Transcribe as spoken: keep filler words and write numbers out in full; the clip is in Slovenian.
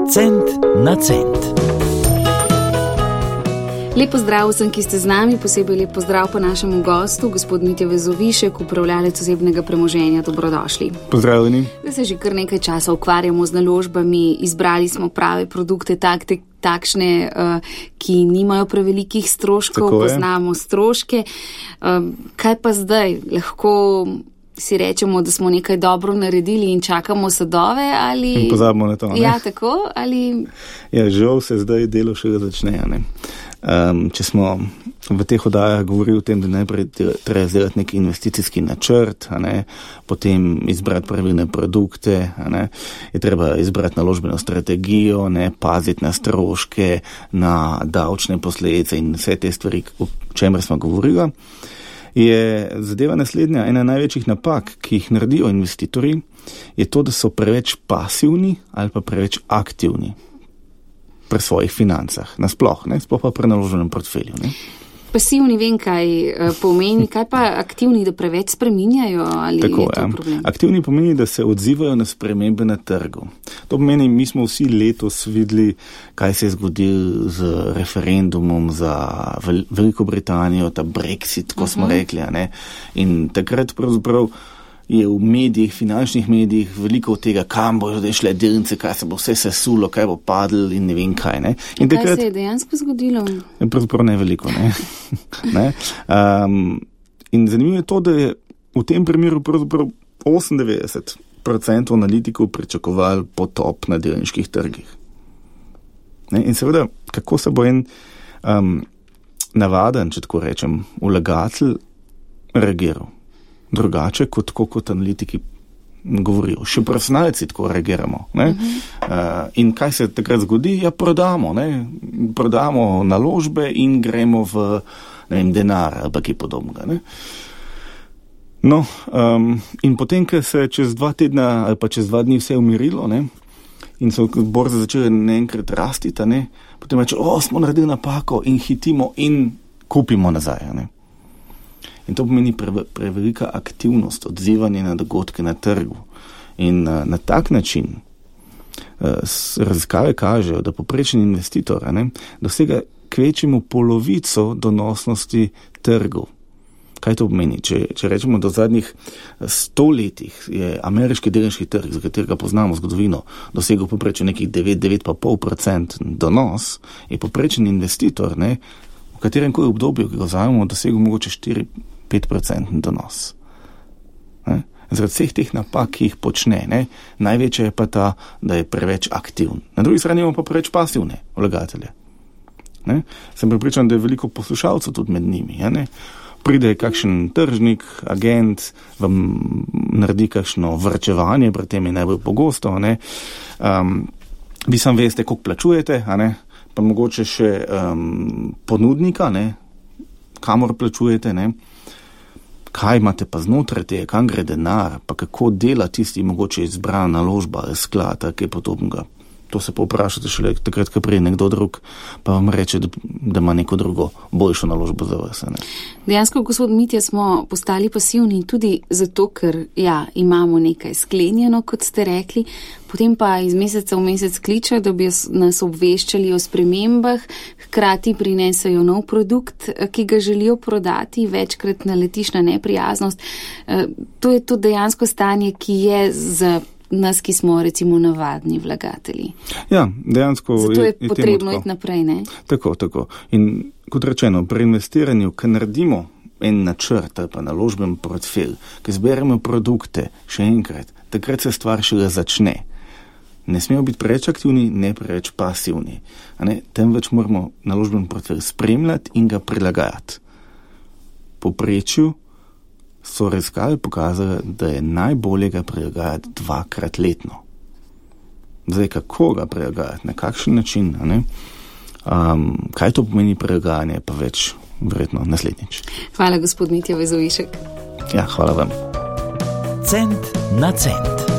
Cent na cent. Lep pozdrav vsem, ki ste z nami, posebej lep pozdrav po našemu gostu, gospod Mitja Vezovišek, upravljalec osebnega premoženja. Dobrodošli. Pozdravljeni. Zdaj se že kar nekaj časa ukvarjamo z naložbami, izbrali smo prave produkte, takte, takšne, ki nimajo prevelikih stroškov, poznamo stroške. Kaj pa zdaj? Lahko si rečemo, da smo nekaj dobro naredili in čakamo sadove ali... In pozabimo na to, ne? Ja, tako, ali... Ja, žal se zdaj delo še začne, ne? Um, če smo v teh oddajah govorili o tem, da najprej treba izdelati neki investicijski načrt, a ne, potem izbrati pravilne produkte, a ne, je treba izbrati naložbeno strategijo, ne, paziti na stroške, na davčne posledice in vse te stvari, o čemer smo govorili, je zadeva naslednja. Ena največjih napak, ki jih naredijo investitorji, je to, da so preveč pasivni ali pa preveč aktivni pri svojih financah, nasploh, ne, sploh pa pri naloženem portfelju, ne. Pasivni vem, kaj pomeni, kaj pa aktivni, da preveč spreminjajo, ali Tako, je to ja. problem? Aktivni pomeni, da se odzivajo na spremembe na trgu. To pomeni, mi smo vsi letos videli, kaj se je zgodilo z referendumom za Veliko Britanijo, ta Brexit, ko uh-huh. smo rekli, ne, in takrat pravzaprav je v medijih, finančnih medijih veliko od tega, kam bojo zdaj šle delnice, kaj se bo vse sesulo, kaj bo padlo in ne vem kaj. Ne? In kaj takrat, se je dejansko zgodilo? Pravzaprav ne veliko. Ne? ne? Um, in zanimivo je to, da je v tem primeru pravzaprav osemindevetdeset procentov analitikov pričakovali potop na delniških trgih. Ne? In seveda, kako se bo en um, navaden, če tako rečem, vlagatelj reagiral? Drugače, kot, kot analitiki govorijo. Še profesionalci tako reagiramo. Ne? Uh-huh. Uh, in kaj se takrat zgodi? Ja, prodamo. Ne? Prodamo naložbe in gremo v ne vem, denar ali kaj podobnega. Ne? No, um, in potem, ko se čez dva tedna ali pa čez dva dni vse umirilo, ne? In so borze začele naenkrat rasti, ne? Potem reče, o, smo naredili napako in hitimo in kupimo nazaj. Ne? In to pomeni pre, prevelika aktivnost, odzivanje na dogodke na trgu. In uh, na tak način uh, raziskave kažejo, da poprečen investitor ne, dosega kvečjemu polovico donosnosti trgov. Kaj to pomeni? Če, če rečemo, do zadnjih sto letih je ameriški delniški trg, za katerega poznamo zgodovino, dosegel poprečen nekih devet do devet celih pet procenta donos, je poprečen investitor, ne, v katerem koli obdobju, ki ga vzamemo, dosegel mogoče štiri do pet procent donos. Ne? Zaradi vseh teh napak, ki jih počne, ne? Največja je pa ta, da je preveč aktivn. Na drugi strani imamo pa preveč pasivne vlagatelje. Ne? Sem pripričan, da je veliko poslušalcev tudi med njimi. Ja, ne? Pride kakšen tržnik, agent, vam naredi kakšno vrčevanje, pri tem je najbolj pogosto. Ne? Um, vi sam veste, koliko plačujete, a ne? Pa mogoče še um, ponudnika, ne? Kamor plačujete, ne? Kaj imate pa znotraj tega, kam gre denar, pa kako dela tisti mogoče izbrana naložba, sklad, kaj podobnega. To se pa vprašate šele takrat, ko prije nekdo drug, pa vam reče, da, da ima neko drugo boljšo naložbo za vas. Ne? Dejansko, gospod Mitja, smo postali pasivni tudi zato, ker ja, imamo nekaj sklenjeno, kot ste rekli, potem pa iz meseca v mesec kličejo, da bi nas obveščali o spremembah, hkrati prinesajo nov produkt, ki ga želijo prodati, večkrat naletiš na neprijaznost. To je to dejansko stanje, ki je za nas, ki smo recimo navadni vlagatelji. Ja, dejansko zato je, je potrebno iti naprej, ne? Tako, tako. In kot rečeno, pri investiranju, ko naredimo en načrt ali pa naložben portfelj, ko zberemo produkte, še enkrat, takrat se stvar šele začne. Ne smemo biti preveč aktivni, ne preveč pasivni. A ne? Temveč moramo naložben portfelj spremljati in ga prilagajati. Po povprečju so raziskave pokazali, da je najbolje ga prilagajati dvakrat letno. Zdaj, kako ga prilagajati, na kakšen način, a ne? Um, kaj to pomeni prilagajanje, pa več verjetno naslednjič. Hvala, gospod Mitja Vezovišek. Ja, hvala vam. Cent na cent.